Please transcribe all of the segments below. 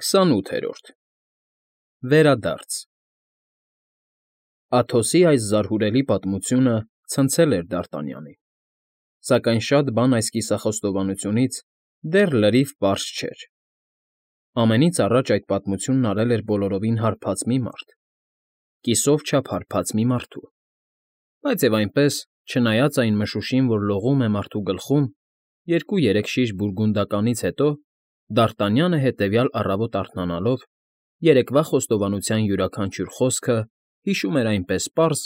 28-րդ Վերադարձ Աթոսի այս զարհուրելի պատմությունը ցնցել էր Դարտանյանին, սակայն շատ բան այս կիսախոստովանությունից դեռ լրիվ պարզ չէր. ամենից առաջ այդ պատմությունն արել էր բոլորովին հարբած մի մարդ, կիսով չափ հարբած մի մարդու, բայց և այնպես, չնայած այն մշուշին, որ լողում է մարդու գլխում, 2-3 շիշ բուրգունդականից հետո Դարտանյանը հետևյալ առավոտ արթնանալով, երեկվա խոստովանության յուրաքանչյուր խոսքը հիշում էր այնպես պարզ,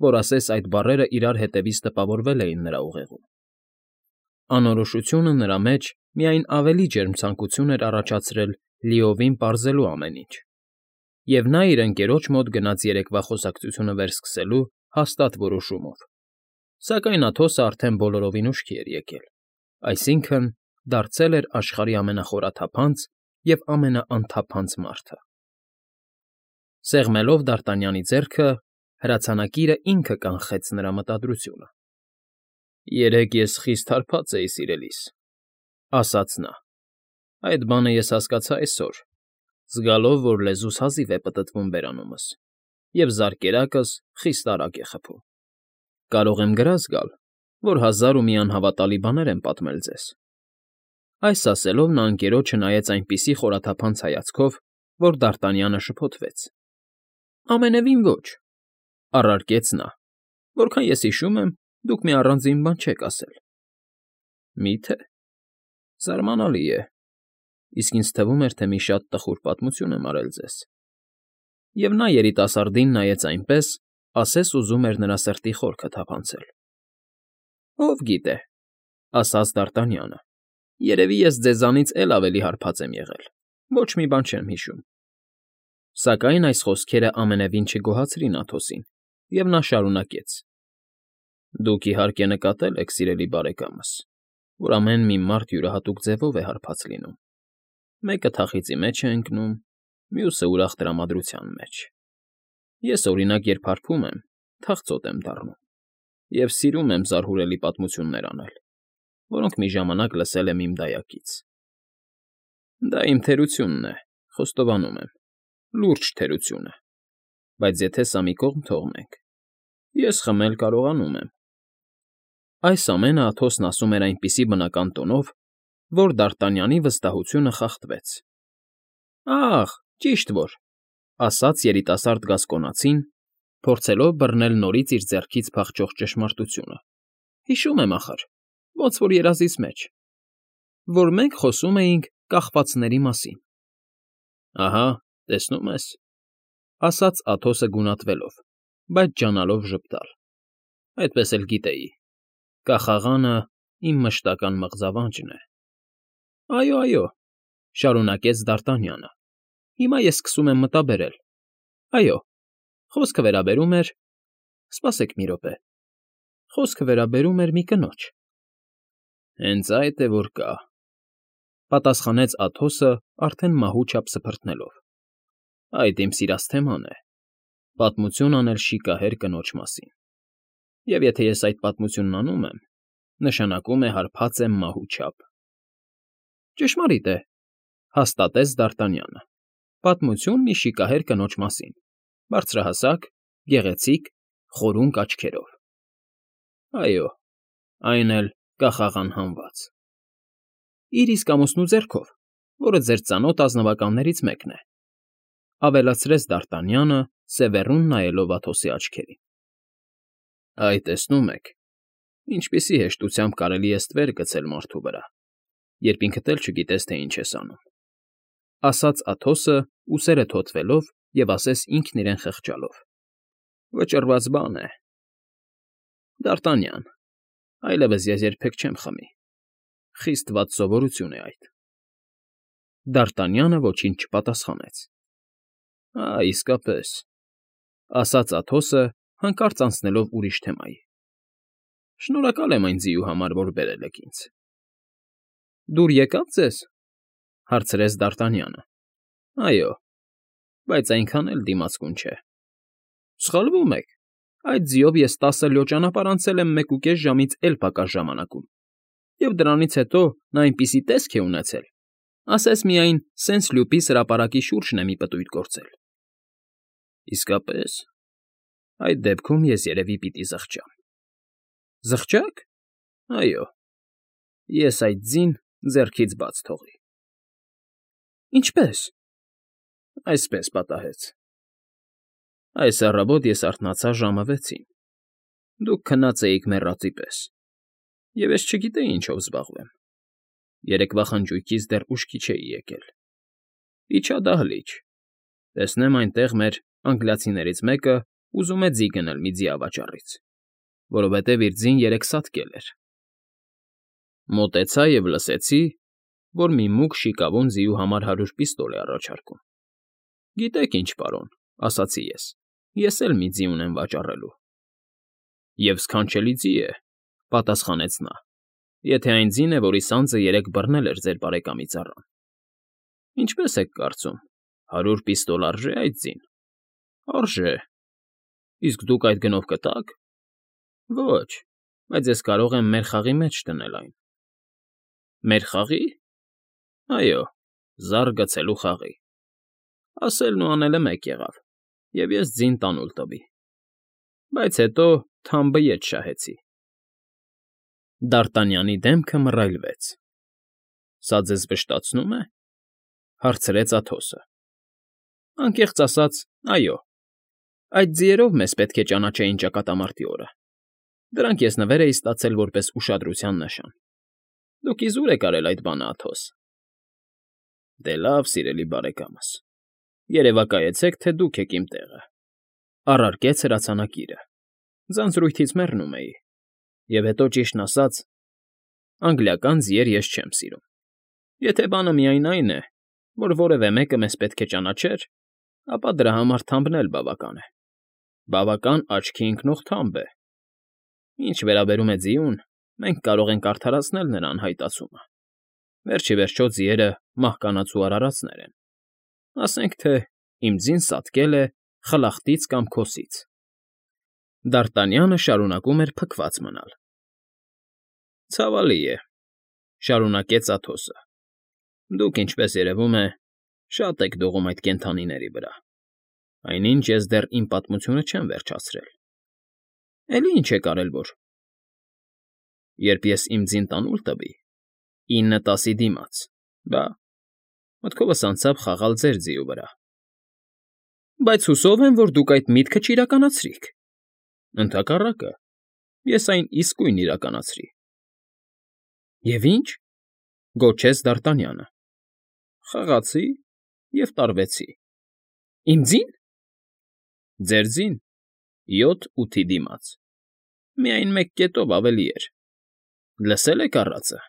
որ ասես այդ բառերը իրար հետևից տպավորվել էին նրա ուղեղում. Անորոշությունը նրա մեջ միայն ավելի ջերմ ցանկություն էր առաջացրել լիովին պարզելու ամեն ինչ, և նա իր ընկերոջ մոտ գնաց երեկվա խոսակցությունը վերսկսելու հաստատ որոշումով, սակայն Աթոսը արդեն բոլորովին ուշքի էր եկել, այսինքն՝ դարձել էր աշխարհի ամենախորաթափանց և ամենաանթափանց մարդը։ Սեղմելով Դարտանյանի ձեռքը, հրացանակիրը ինքը կանխեց նրա մտադրությունը։ «Երեկ ես խիստ հարբած էի, սիրելիս,֊ ասաց նա,֊ այդ բանը ես հասկացա այսօր, զգալով, որ լեզուս հազիվ է պտտվում բերանումս, և զարկերակս խիստ արագ է խփում։ Կարող եմ գրազ գալ, որ 1000 ու մի անհավատալի բաներ եմ պատմել ձեզ»։ Այս ասելով նա ընկերոջը նայեց այնպիսի խորաթափանց հայացքով, որ Դարտանյանը շփոթվեց։ «Ամենևին ոչ,֊ առարկեց նա,֊ որքան ես հիշում եմ, դուք մի առանձին բան չեք ասել»։ «Մի՞թե, զարմանալի է, իսկ ինձ թվում էր, թե մի շատ տխուր պատմություն եմ արել ձեզ»։ Եվ նա երիտասարդին նայեց այնպես, ասես ուզում էր նրա սրտի խորքը թափանցել։ «Ով գիտե,֊ ասաց Դարտանյանը,֊ երևի ես ձեզանից էլ ավելի հարբած եմ եղել, ոչ մի բան չեմ հիշում»։ Սակայն այս խոսքերը ամենևին չգոհացրին Աթոսին, և նա շարունակեց. «Դուք, իհարկե, նկատել եք, սիրելի բարեկամս, որ ամեն մի մարդ յուրահատուկ ձևով է հարբած լինում. մեկը թախիծի մեջ է ընկնում, մյուսը ուրախ տրամադրության մեջ։ Ես, օրինակ, երբ հարբում եմ, թախծոտ եմ դառնում և սիրում եմ զարհուրելի պատմություններ անել, որոնք մի ժամանակ լսել եմ իմ դայակից։ Դա իմ թերությունն է, խոստովանում եմ, լուրջ թերություն է, բայց եթե սա մի կողմ թողնենք, ես խմել կարողանում եմ»։ Այս ամենը Աթոսն ասում էր այնպիսի բնական տոնով, որ Դարտանյանի վստահությունը խախտվեց։ «Ախ, ճիշտ որ,֊ ասաց երիտասարդ գասկոնացին, փորձելով բռնել նորից իր ձեռքից փախչող ճշմարտությունը,֊ հիշում եմ ախր, ոնց որ երազիս մեջ, որ մենք խոսում էինք կախվածների մասին»։ «Ահա, տեսնում ես,֊ ասաց Աթոսը գունատվելով, բայց ջանալով ժպտալ,֊ այդպես էլ գիտեի, կախաղանը իմ մշտական մղձավանջն է»։ «Այո, այո,֊ շարունակեց Դարտանյանը,֊ հիմա ես սկսում եմ մտաբերել, այո, խոսքը վերաբերում էր… Սպասեք մի րոպե, խոսքը վերաբերում էր մի կնոջ»։ «Հենց այդ է, որ կա,֊ պատասխանեց Աթոսը արդեն մահու չափ սփռտնելով,֊ այդ իմ սիրած թեման է, պատմություն անել շիկահեր կնոջ մասին, և եթե ես այդ պատմությունն անում եմ, նշանակում է հարբած եմ մահու չափ»։ «Ճշմարիտ է,֊ հաստատեց Դարտանյանը,֊ պատմություն մի շիկահեր կնոջ մասին, բարձրահասակ, գեղեցիկ, խորունկ աչքերով։ Այո, այն էլ կախաղան հանված։ Իր իսկ ամուսնու ձեռքով, որը ձեր ծանոթ ազնվականներից մեկն է,֊ ավելացրեց Դարտանյանը, սևեռուն նայելով Աթոսի աչքերին։ «Այ, տեսնում եք, ինչպիսի հեշտությամբ կարելի է ստվեր գցել մարդու վրա, երբ ինքդ էլ չգիտես, թե ինչ ես անում», ասաց Աթոսը, ուսերը թոթվելով և ասես ինքն իրեն խղճալով։ «Վճռված բան է։ Դարտանյան, այլևս ես երբեք չեմ խմի, խիստ վատ սովորություն է այդ»։ Դարտանյանը ոչինչ չպատասխանեց։ «Ա, իսկապես,֊ ասաց Աթոսը, հանկարծ անցնելով ուրիշ թեմայի,֊ շնորհակալ եմ այն ձիու համար, որ բերել եք ինձ»։ «Դուր եկա՞ծ ձեզ,֊ հարցրեց Դարտանյանը։ «Այո, բայց այնքան էլ դիմացկուն չէ»։ «Սխալվում եք, այդ ձիով ես 10 լյո ճանապարհ անցել եմ 1.5 ժամից էլ պակաս ժամանակում, և դրանից հետո նա այնպիսի տեսք է ունեցել, ասես միայն Սենսլյուպի հրապարակի շուրջն է մի պտույտ գործել։ Իսկապես, այդ դեպքում ես երևի պիտի զղջամ։ Զղջա՞ք։ Այո, ես այդ ձին ձեռքից բաց թողի։ Ինչպե՞ս։ Այսպես պատահեց։ Այս առավոտ ես արթնացա ժամը 6-ին։ Դուք քնած էիք մեռածի պես, և ես չգիտեի ինչով զբաղվեմ։ Երեկվա խնջույքից դեռ ուշքի չէի եկել։ Իջա դահլիճ, տեսնեմ այնտեղ մեր անգլիացիներից մեկը ուզում է ձի գնել մի ձիավաճառից, որովհետև իր ձին երեկ սատկել էր։ Մոտեցա և լսեցի, որ մի մուգ շիկավուն ձիու համար 100 պիստոլ է առաջարկում։ Գիտեք ինչ, պարոն, ասացի ես էլ մի ձի ունեմ վաճառելու։ Եվ սքանչելի ձի է, պատասխանեց նա, եթե այն ձին է, որի սանձը երեկ բռնել էր ձեր բարեկամի ծառան։ Ինչպես եք կարծում, 100 պիստոլ արժե այդ ձին։ Արժե։ Իսկ դուք այդ գնով կտա՞ք։ Ոչ, բայց ես կարող եմ մեր խաղի մեջ դնել այն։ Մեր խաղի։ Այո, զառ գցելու խաղի։ Ասելն ու անելը մեկ եղավ, և ես ձին տանուլ տվի։ Բայց հետո թամբը ետ շահեցի։ Դարտանյանի դեմքը մռայլվեց։ Սա ձեզ վշտացնո՞ւմ է,֊ հարցրեց Աթոսը։ Անկեղծ ասած, այո։ Այդ ձիերով մեզ պետք է ճանաչեին ճակատամարտի օրը։ Դրանք ես նվեր էի ստացել որպես ուշադրության նշան։ Դուք իզուր եք արել այդ բանը, Աթոս։ Դե լավ, սիրելի բարեկամս, երևակայեցեք, թե դուք եք իմ տեղը,֊ առարկեց հրացանակիրը։ Ձանձրույթից մեռնում էի, և հետո, ճիշտն ասած, անգլիական ձիեր ես չեմ սիրում։ Եթե բանը միայն այն է, որ որևէ մեկը մեզ պետք է ճանաչեր, ապա դրա համար թամբն էլ բավական է։ Բավական աչքի ընկնող թամբ է։ Ինչ վերաբերում է ձիուն, մենք կարող ենք արդարացնել նրա անհայտացումը։ Վերջիվերջո ձիերը մահկանացու արարածներ են։ Ասենք թե իմ ձին սատկել է խլախտից կամ քոսից։ Դարտանյանը շարունակում էր փքված մնալ։ Ցավալի է,֊ շարունակեց Աթոսը։ Դուք, ինչպես երևում է, շատ եք դողում այդ կենդանիների վրա։ Այնինչ ես դեռ իմ պատմությունը չեմ վերջացրել։ Էլի ինչ եք արել, որ… Երբ ես իմ ձին տանուլ տվի, 9-10-ի դիմաց, բա… մտքովս անցավ խաղալ ձեր ձիու վրա։ Բայց հուսով եմ, որ դուք այդ միտքը չիրականացրիք։ Ընդհակառակը, ես այն իսկույն իրականացրի։ Եվ ի՞նչ,֊ գոչեց Դարտանյանը։ Խաղացի և տարվեցի։ Իմ ձի՞ն։ Ձեր ձին, 7-8-ի դիմաց։ Միայն մեկ կետով ավելի էր։ Լսել եք առածը։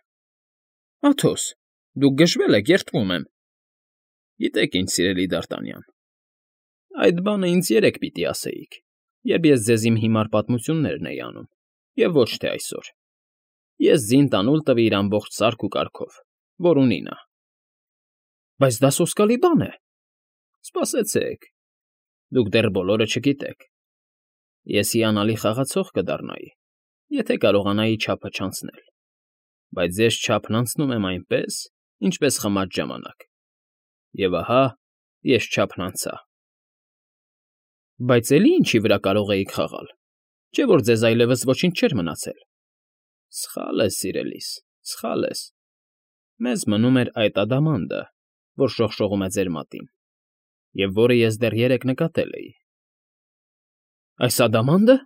Աթոս, դուք գժվել եք, երդվում եմ։ Գիտեք ինչ, սիրելի Դարտանյան, այդ բանը ինձ երեկ պիտի ասեիք, երբ ես ձեզ իմ հիմար պատմություններն էի անում, և ոչ թե այսօր։ Ես ձին տանուլ տվի իր ամբողջ սարք ու կարգով, որ ունի նա։ Բայց դա սոսկալի բան է։ Սպասեցեք, դուք դեռ բոլորը չգիտեք։ Ես հիանալի խաղացող կդառնայի, եթե կարողանայի չափը չանցնել, բայց ես չափն անցնում եմ այնպես, ինչպես խմած ժամանակ։ Եվ ահա ես չափն անցա։ Բայց էլի ինչի վրա կարող էիք խաղալ, չէ՞ որ ձեզ այլևս ոչինչ չէր մնացել։ Սխալ ես, սիրելիս, սխալ ես։ Մեզ մնում էր այդ ադամանդը, որ շողշողում է ձեր մատին, և որը ես դեռ երեկ նկատել էի։ Այս ադամանդը,֊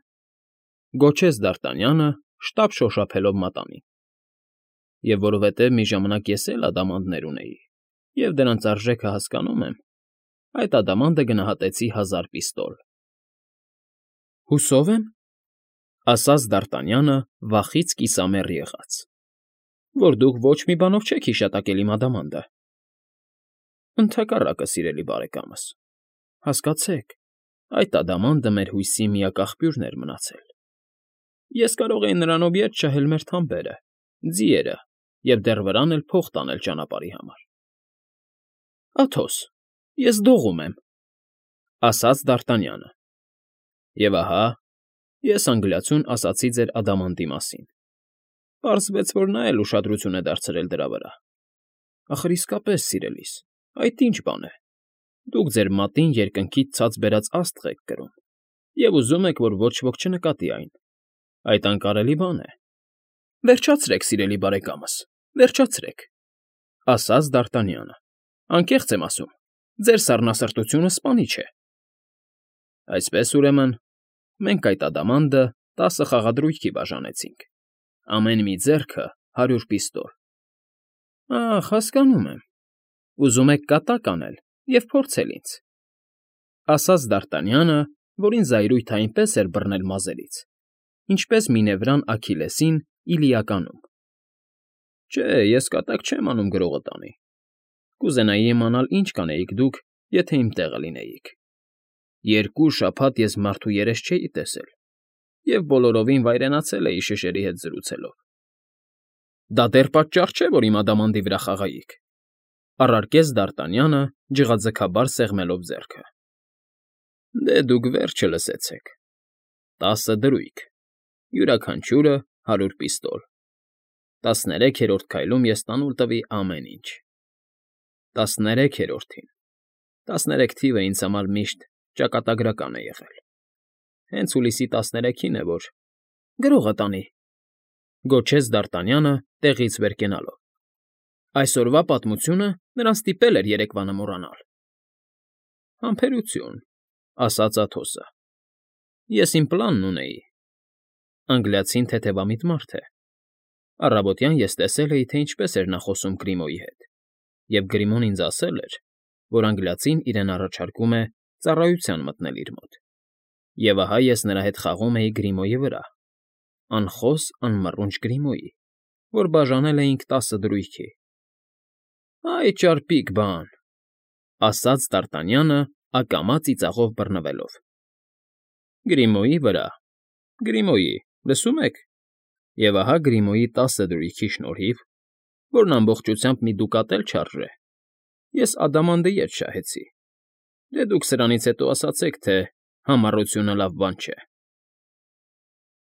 գոչեց Դարտանյանը, շտապ շոշափելով մատանին։ Եվ որովհետև մի ժամանակ ես էլ ադամանդներ ունեի, և դրանց արժեքը հասկանում եմ, այդ ադամանդը գնահատեցի 1000 պիստոլ։ Հուսով եմ,֊ ասաց Դարտանյանը վախից կիսամեռ եղած,֊ որ դուք ոչ մի բանով չեք հիշատակել իմ ադամանդը։ Ընդհակառակը, սիրելի բարեկամս, հասկացեք, այդ ադամանդը մեր հույսի միակ աղբյուրն էր մնացել։ Ես կարող էի նրանով ետ շահել մեր թամբերը, ձիերը և դեռ վրան էլ փող տանել ճանապարհի համար։ Աթոս, ես դողում եմ,֊ ասաց Դարտանյանը։ Եվ ահա, ես անգլիացուն ասացի ձեր ադամանդի մասին։ Պարզվեց, որ նա էլ ուշադրություն է դարձրել դրա վրա։ Ախր իսկապես, սիրելիս, այդ ի՞նչ բան է։ Դուք ձեր մատին երկնքից ցած բերած աստղ եք կրում և ուզում եք, որ ոչ ոք չնկատի այն։ Այդ անկարելի բան է։ Վերջացրեք, սիրելի բարեկամս, վերջացրեք, ֊ ասաց Դ'Արտանյանը։ Անկեղծ եմ ասում, ձեր սառնասրտությունը սպանիչ է։ Այսպես, ուրեմն, մենք այդ ադամանդը 10 խաղադրույքի բաժանեցինք, ամեն մի ձեռքը 100 պիստոլ։ Ախ, հասկանում եմ, ուզում եք կատակ անել և փորձել ինձ, ֊ ասաց Դ'Արտանյանը, որին զայրույթը այնպես էր բռնել մազերից, ինչպես Մինևրան Աքիլեսին Իլիականում։ Չէ, ես կատակ չեմ անում գրողը տանի։ Կուզենայի իմանալ, ինչ կանեիք դուք, եթե իմ տեղը լինեիք։ 2 շաբաթ ես մարդու երես չէի տեսել և բոլորովին վայրենացել էի շշերի հետ զրուցելով։ Դա դեռ պատճառ չէ, որ իմ ադամանդի վրա խաղայիք, ֊ առարկեց Դ'Արտանյանը, ջղաձգաբար սեղմելով ձեռքը։ Դե դուք վերջը լսեցեք. 10 դրույք, յուրաքանչյուրը 100 պիստոլ։ 13-րդ քայլում ես տանուլ տվի ամեն ինչ։ 13-րդին։ 13 թիվը ինձ համար միշտ ճակատագրական է եղել։ Հենց հուլիսի 13-ին է, որ… Գրողը տանի, ֊ գոչեց Դ'Արտանյանը, տեղից վեր կենալով։ Այսօրվա պատմությունը նրան ստիպել էր երեկվանը մոռանալ։ Համբերություն, ֊ ասաց Աթոսը։ Ես իմ պլանն ունեի։ Անգլիացին թեթևամիտ մարդ է։ Առավոտյան ես տեսել էի, թե ինչպես էր նա խոսում Գրիմոյի հետ, և Գրիմոն ինձ ասել էր, որ անգլիացին իրեն առաջարկում է ծառայության մտնել իր մոտ։ Եվ ահա ես նրա հետ խաղում էի Գրիմոյի վրա, անխոս անմռունչ Գրիմոյի, որ բաժանել էինք 10 դրույքի։ Այ ճարպիկ բան, ֊ ասաց Դ'Արտանյանը, ակամա ծիծաղով բռնվելով։ Գրիմոյի վրա, Գրիմոյի, լսում եք։ Եվ ահա Գրիմոյի 10 դրույքի շնորհիվ, որն ամբողջությամբ մի դուկատ էլ չարժե, ես ադամանդը ետ շահեցի։ Դե դուք սրանից հետո ասացեք, թե համառությունը լավ բան չէ։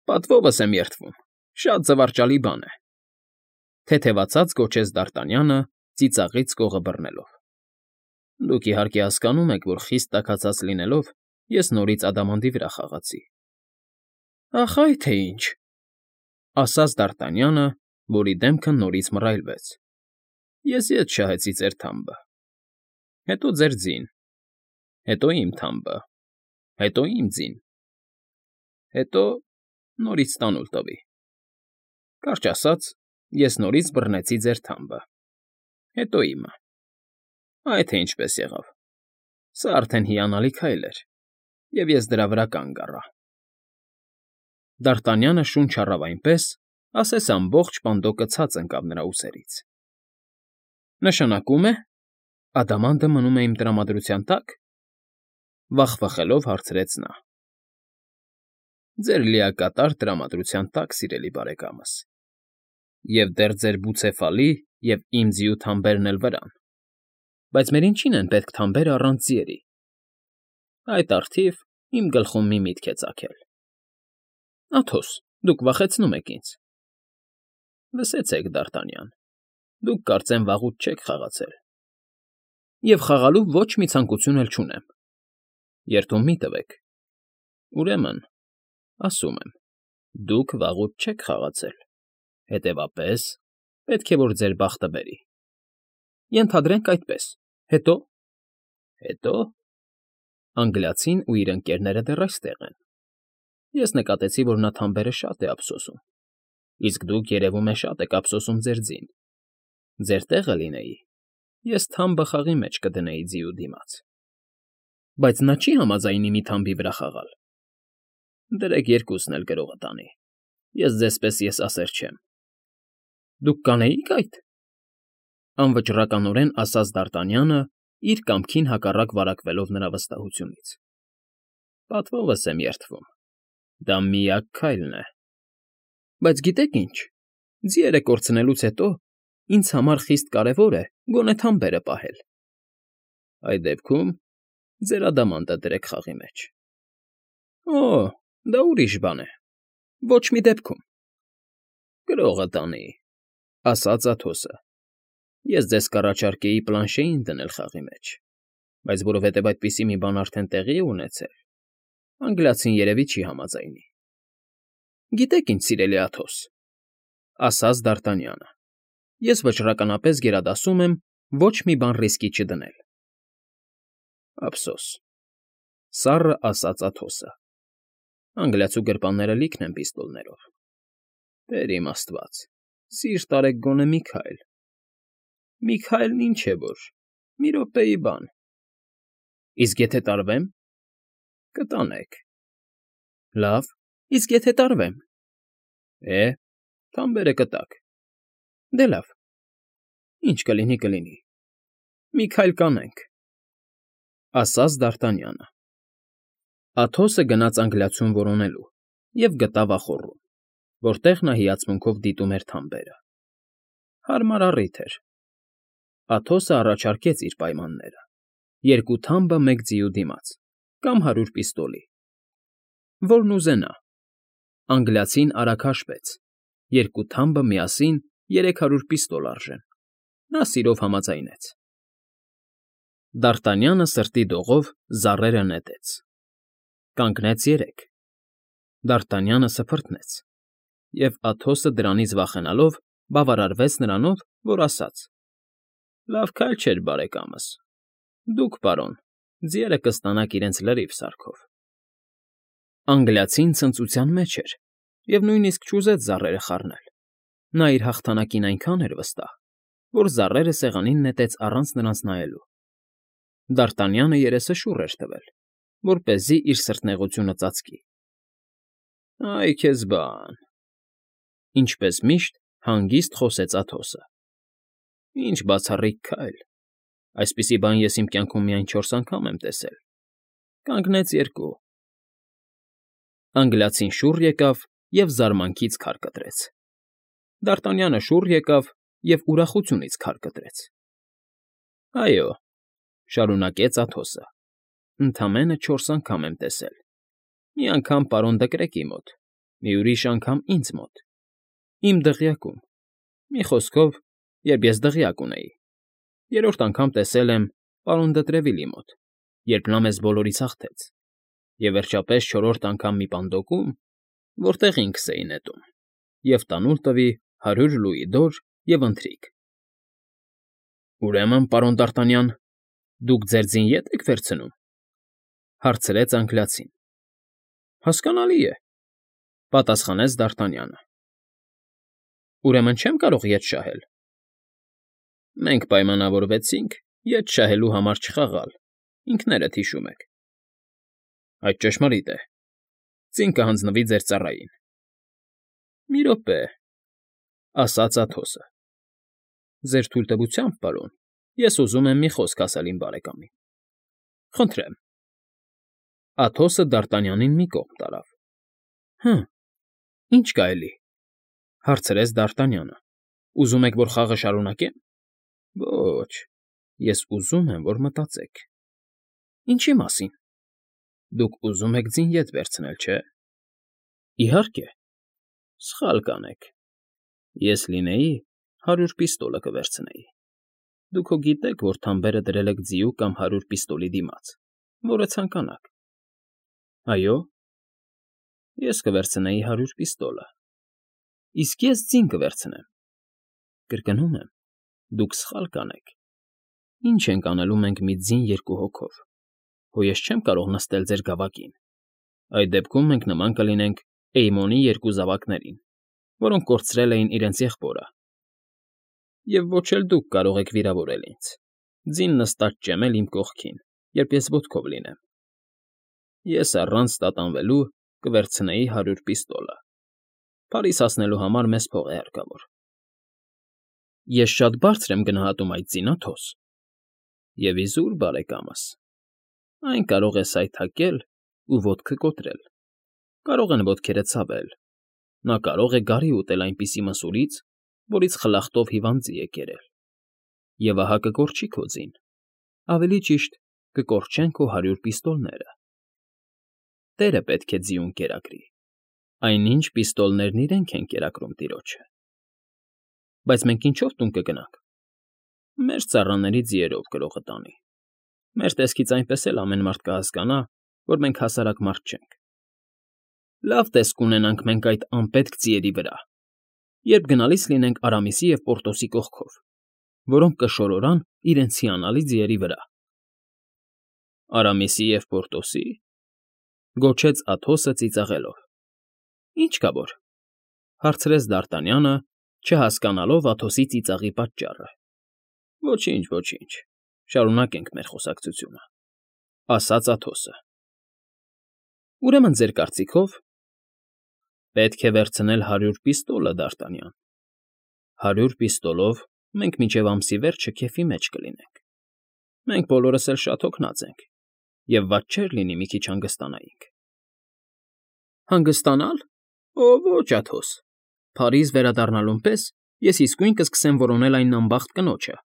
Պատվովս եմ երդվում, շատ զվարճալի բան է, ֊ թեթևացած գոչեց Դ'Արտանյանը, ծիծաղից կողը բռնելով։ Դուք իհարկե հասկանում եք, որ խիստ տաքացած լինելով, ես նորից ադամանդի վրա խաղացի։ Ախ, այ թե ինչ, ֊ ասաց Դ'Արտանյանը, որի դեմքը նորից մռայլվեց։ Ես ետ շահեցի ձեր թամբը, հետո ձեր ձին, հետո իմ թամբը, հետո իմ ձին, հետո նորից տանուլ տվի։ Կարճ ասած, ես նորից բռնեցի ձեր թամբը, հետո իմը։ Այ թե ինչպես եղավ։ Սա արդեն հիանալի քայլ էր, և ես դրա վրա կանգ առա։ Դ'Արտանյանը շունչ առավ այնպես, ասես ամբողջ պանդոկը ցած ընկավ նրա ուսերից։ Նշանակում է, ադամանդը մնում է իմ տրամադրության տա՞կ, ֊ վախվխելով հարցրեց նա։ Ձեր լիակատար տրամադրության տակ, սիրելի բարեկամս, և դեռ ձեր բուցեֆալի և իմ ձիու թամբերն էլ վրան, բայց մեր ինչին են պետք թամբերը առանց ձիերի։ Այդ առթիվ իմ գլխում մի միտք է ծագել։ Աթոս, դուք վախեցնում եք ինձ։ Լսեցեք, Դ'Արտանյան, դուք կարծեմ վաղուց չեք խաղացել։ Եվ խաղալու ոչ մի ցանկություն էլ չունեմ։ Երդում մի տվեք։ Ուրեմն, ասում եմ, դուք վաղուց չեք խաղացել, հետևապես պետք է, որ ձեր բախտը բերի։ Ենթադրենք այդպես, հետո… Հետո… Անգլիացին ու իր ընկերները դեռ այստեղ են։ Ես նկատեցի, որ նա թամբերը շատ է ափսոսում, իսկ դուք, երևում է, շատ եք ափսոսում ձեր ձին։ Ձեր տեղը լինեի, ես թամբը խաղի մեջ կդնեի ձիու դիմաց։ Բայց նա չի համաձայնի մի թամբի վրա խաղալ։ Դրեք երկուսն էլ գրողը տանի, ես ձեզ պես եսասեր չեմ։ Դուք կանեիք այդ, ֊ անվճռականորեն ասաց Դ'Արտանյանը, իր կամքին հակառակ վարակվելով նրա վստահությունից։ Պատվովս եմ երդվում, դա միակ քայլն է։ Բայց գիտեք ինչ, ձիերը կորցնելուց հետո ինձ համար խիստ կարևոր է գոնե թամբերը պահել։ Այդ դեպքում ձեր ադամանդը դրեք խաղի մեջ։ Օ, դա ուրիշ բան է, ոչ մի դեպքում։ Գրողը տանի, ֊ ասաց Աթոսը։ Ես ձեզ կառաջարկեի պլանշեին դնել խաղի մեջ, բայց որովհետև այդպիսի մի բան արդեն տեղի է ունեցել, անգլիացին երևի չի համաձայնի։ ֊ Գիտեք ինչ, սիրելի Աթոս,֊ ասաց Դ'Արտանյանը,֊ ես վճռականապես գերադասում եմ ոչ մի բան ռիսկի չդնել։ ֊ Ափսոս,֊ սառը ասաց Աթոսը,֊ անգլիացու գրպանները լիքն են պիստոլներով։ Տեր իմ աստված, սիրտ արեք գոնե մի քայլ։ Մի քայլն ինչ է որ, մի րոպեի բան։ Իսկ եթե տարվեմ։ Կտանեք։ Լավ, իսկ եթե տարվեմ։ Թամբերը կտակ։ Դե լավ։ Ինչ կլինի, կլինի։ Մի քայլ կանենք,֊ ասաց Դ'Արտանյանը։ Աթոսը գնաց անգլիացուն որոնելու և գտավ ախոռում, որտեղ նա հիացմունքով դիտում էր թամբերը։ Հարմար առիթ էր։ Աթոսը առաջարկեց իր պայմանները. 2 թամբը 1 ձիու դիմաց, կամ 100 պիստոլի։ Որն ուզենա։ Անգլիացին արագ հաշվեց. 2 թամբը միասին 300 պիստոլ արժեն։ Նա սիրով համաձայնեց։ Դ'Արտանյանը սրտի դողով զառերը նետեց։ Կանգնեց 3։ Դ'Արտանյանը սփռտնեց, և Աթոսը դրանից վախենալով բավարարվեց նրանով, որ ասաց. Լավ քայլ չէր, բարեկամս։ Դուք, պարոն, ձիերը կստանաք իրենց լրիվ սարքով։ Անգլիացին ցնծության մեջ էր և նույնիսկ չուզեց զառերը խառնել։ Նա իր հաղթանակին այնքան էր վստահ, որ զառերը սեղանին նետեց առանց նրանց նայելու։ Դ'Արտանյանը երեսը շուռ էր տվել, որպեսզի իր սրտնեղությունը ծածկի։ Այ քեզ բան,֊ ինչպես միշտ հանգիստ խոսեց Աթոսը։ Ինչ բացառիկ քայլ։ Այսպիսի բան ես իմ կյանքում միայն 4 անգամ եմ տեսել։ Կանգնեց 2։ Անգլիացին շուռ եկավ և զարմանքից քար կտրեց։ Դ'Արտանյանը շուռ եկավ և ուրախությունից քար կտրեց։ Այո,֊ շարունակեց Աթոսը,֊ ընդամենը 4 անգամ եմ տեսել։ Մի անգամ պարոն Դկրեկի մոտ, մի ուրիշ անգամ ինձ մոտ, իմ դղյակում, մի խոսքով, երբ ես դղյակ ունեի։ 3-րդ անգամ տեսել եմ պարոն Դը Տրևիլի մոտ, երբ նա մեզ բոլորից հաղթեց, և վերջապես 4-րդ անգամ մի պանդոկում, որտեղ ինքս էի նետում, և տանուլ տվի 100 լուիդոր և ընթրիք։ ֊ Ուրեմն, պարոն Դ'Արտանյան, դուք ձեր ձին ե՞տ եք վերցնում,֊ հարցրեց անգլիացին։ ֊ Հասկանալի է,֊ պատասխանեց Դ'Արտանյանը։ ֊ Ուրեմն չեմ կարող ետ շահել։ ֊ Մենք պայմանավորվեցինք ետ շահելու համար չխաղալ, ինքներդ հիշում եք։ ֊ Այդ ճշմարիտ է։ Ձին կհանձնվի ձեր ծառային։ ֊ Մի րոպե,֊ ասաց Աթոսը։ ֊ Ձեր թույլտվությամբ, պարոն, ես ուզում եմ մի խոսք ասել իմ բարեկամին։ ֊ Խնդրեմ։ Աթոսը Դ'Արտանյանին մի կողմ տարավ։ ֊ Հը, ի՞նչ կա էլի,֊ հարցրեց Դ'Արտանյանը։ Ուզում եք, որ խաղը շարունակե՞մ։ ֊ Ոչ, ես ուզում եմ, որ մտածեք։ ֊ Ինչի՞ մասին։ ֊ Դուք ուզում եք ձին ետ վերցնել, չէ՞։ ֊ Իհարկե։ ֊ Սխալ կանեք։ Ես լինեի, 100 պիստոլը կվերցնեի։ Դուք հո գիտեք, որ թամբերը դրել եք ձիու կամ 100 պիստոլի դիմաց, որը ցանկանաք։ ֊ Այո։ ֊ Ես կվերցնեի 100 պիստոլը։ ֊ Իսկ ես ձին կվերցնեմ։ ֊ Կրկնում եմ, դուք սխալ կանեք։ Ինչ ենք անելու մենք մի ձին 2 հոգով։ Հո ես չեմ կարող նստել ձեր գավակին։ Այդ դեպքում մենք նման կլինենք Էյմոնի 2 զավակներին, որոնք կորցրել էին իրենց եղբորը։ Եվ ոչ էլ դուք կարող եք վիրավորել ինձ, ձին նստած ճեմել իմ կողքին, երբ ես ոտքով լինեմ։ Ես առանց տատանվելու կվերցնեի 100 պիստոլը։ Փարիզ հասնելու համար մեզ փող է հարկավոր։ Ես շատ բարձր եմ գնահատում այդ ձին, Աթոս։ Եվ իզուր, բարեկամս, այն կարող է սայթաքել ու ոտքը կոտրել, կարող են ոտքերը ցավել, նա կարող է գարի ուտել այնպիսի մսուրից, որից խլախտով հիվանդ ձի է կերել, և ահա կկորչի քո ձին, ավելի ճիշտ կկորչեն քո 100 պիստոլները։ Տերը պետք է ձիուն կերակրի, այնինչ պիստոլներն իրենք են կերակրում տիրոջը։ Բայց մենք ինչո՞վ տուն կգնանք։ Մեր ծառաների ձիերով գրողը տանի։ Մեր տեսքից այնպես էլ ամեն մարդ կհասկանա, որ մենք հասարակ մարդ չենք։ Լավ տեսք կունենանք մենք այդ անպետք ձիերի վրա, երբ գնալիս լինենք Արամիսի և Պորտոսի կողքով, որոնք կշորորան իրենց հիանալի ձիերի վրա։ Արամիսի և Պորտոսի,֊ գոչեց Աթոսը ծիծաղելով։ ֊ Ինչ կա որ,֊ հարցրեց Դարտանյանը, չհասկանալով Աթոսի ծիծաղի պատճառը։ ֊ Ոչինչ, ոչինչ, շարունակենք մեր խոսակցությունը,֊ ասաց Աթոսը։ Ուրեմն ձեր կարծիքով պետք է վերցնել 100 պիստոլը, Դարտանյան։ 100 պիստոլով մենք մինչև ամսի վերջը քեֆի մեջ կլինենք։ Մենք բոլորս էլ շատ հոգնած ենք, և վատ չէր լինի մի քիչ հանգստանայինք։ Հանգստանալ։ Օ, ոչ, Աթոս, Փարիզ վերադառնալուն պես ես իսկույն կսկսեմ որոնել այն անբախտ կնոջը։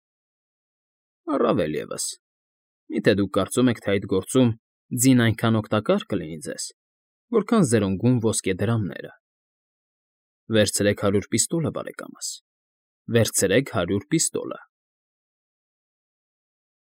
Առավել ևս, մի՞թե դուք կարծում եք, թե այդ գործում ձին այնքան օգտակար կլինի ձեզ, որքան զրնգուն ոսկե դրամները։ Վերցրեք 100 պիստոլը, բարեկամս, վերցրեք 100 պիստոլը։